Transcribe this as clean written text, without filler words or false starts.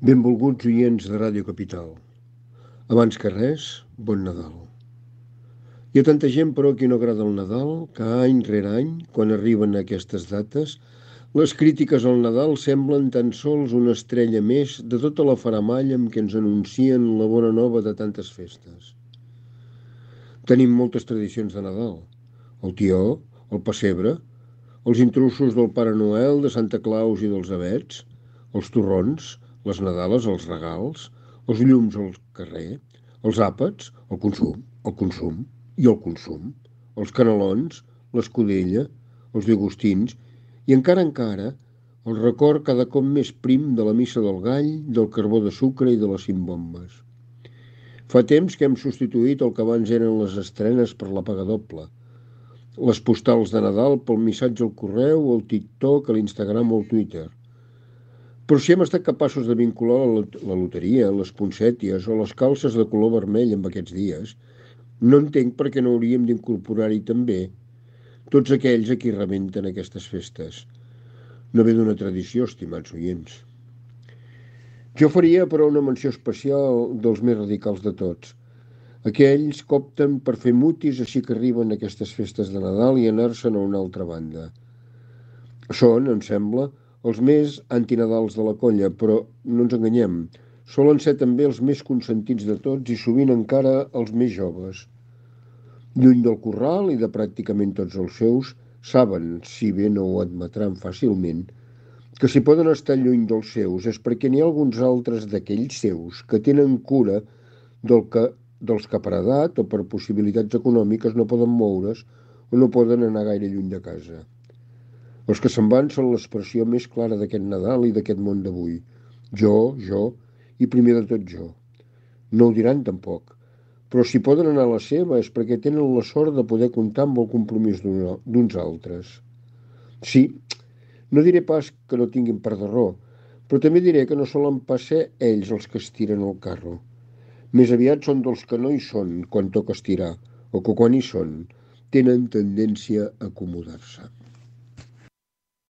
Benvolguts oients de Ràdio Capital. Abans que res, bon Nadal. Hi ha tanta gent, però, qui no agrada el Nadal, que any rere any, quan arriben aquestes dates, les crítiques al Nadal semblen tan sols una estrella més de tota la faramalla amb què ens anuncien la bona nova de tantes festes. Tenim moltes tradicions de Nadal. El tió, el pessebre, els intrusos del Pare Noel, de Santa Claus i dels avets, els torrons, les nadales, els regals, els llums al carrer, els àpats, el consum i el consum, els canelons, l'escudella, els llagostins i encara el record cada cop més prim de la missa del gall, del carbó de sucre i de les 5 bombes. Fa temps que hem substituït el que abans eren les estrenes per la paga doble, les postals de Nadal pel missatge al correu, al TikTok, a l'Instagram o al Twitter. Però si hem estat capaços de vincular la loteria, les poncèties o les calces de color vermell amb aquests dies, no entenc per què no hauríem d'incorporar-hi també tots aquells a qui rebenten aquestes festes. No ve d'una tradició, estimats oients. Jo faria, però, una menció especial dels més radicals de tots. Aquells que opten per fer mutis així que arriben aquestes festes de Nadal i anar-se'n a una altra banda. Són, em sembla, els més antinadals de la colla, però no ens enganyem, solen ser també els més consentits de tots i sovint encara els més joves. Lluny del corral i de pràcticament tots els seus, saben, si bé no ho admetran fàcilment, que si poden estar lluny dels seus és perquè n'hi ha alguns altres d'aquells seus que tenen cura dels que per edat o per possibilitats econòmiques no poden moure's o no poden anar gaire lluny de casa. Els que se'n van són l'expressió més clara d'aquest Nadal i d'aquest món d'avui. Jo, i primer de tot jo. No ho diran tampoc, però si poden anar a la seva és perquè tenen la sort de poder comptar amb el compromís d'uns altres. Sí, no diré pas que no tinguin part de raó, però també diré que no solen pas ser ells els que estiren el carro. Més aviat són dels que no hi són quan toca estirar, o que quan hi són tenen tendència a acomodar-se.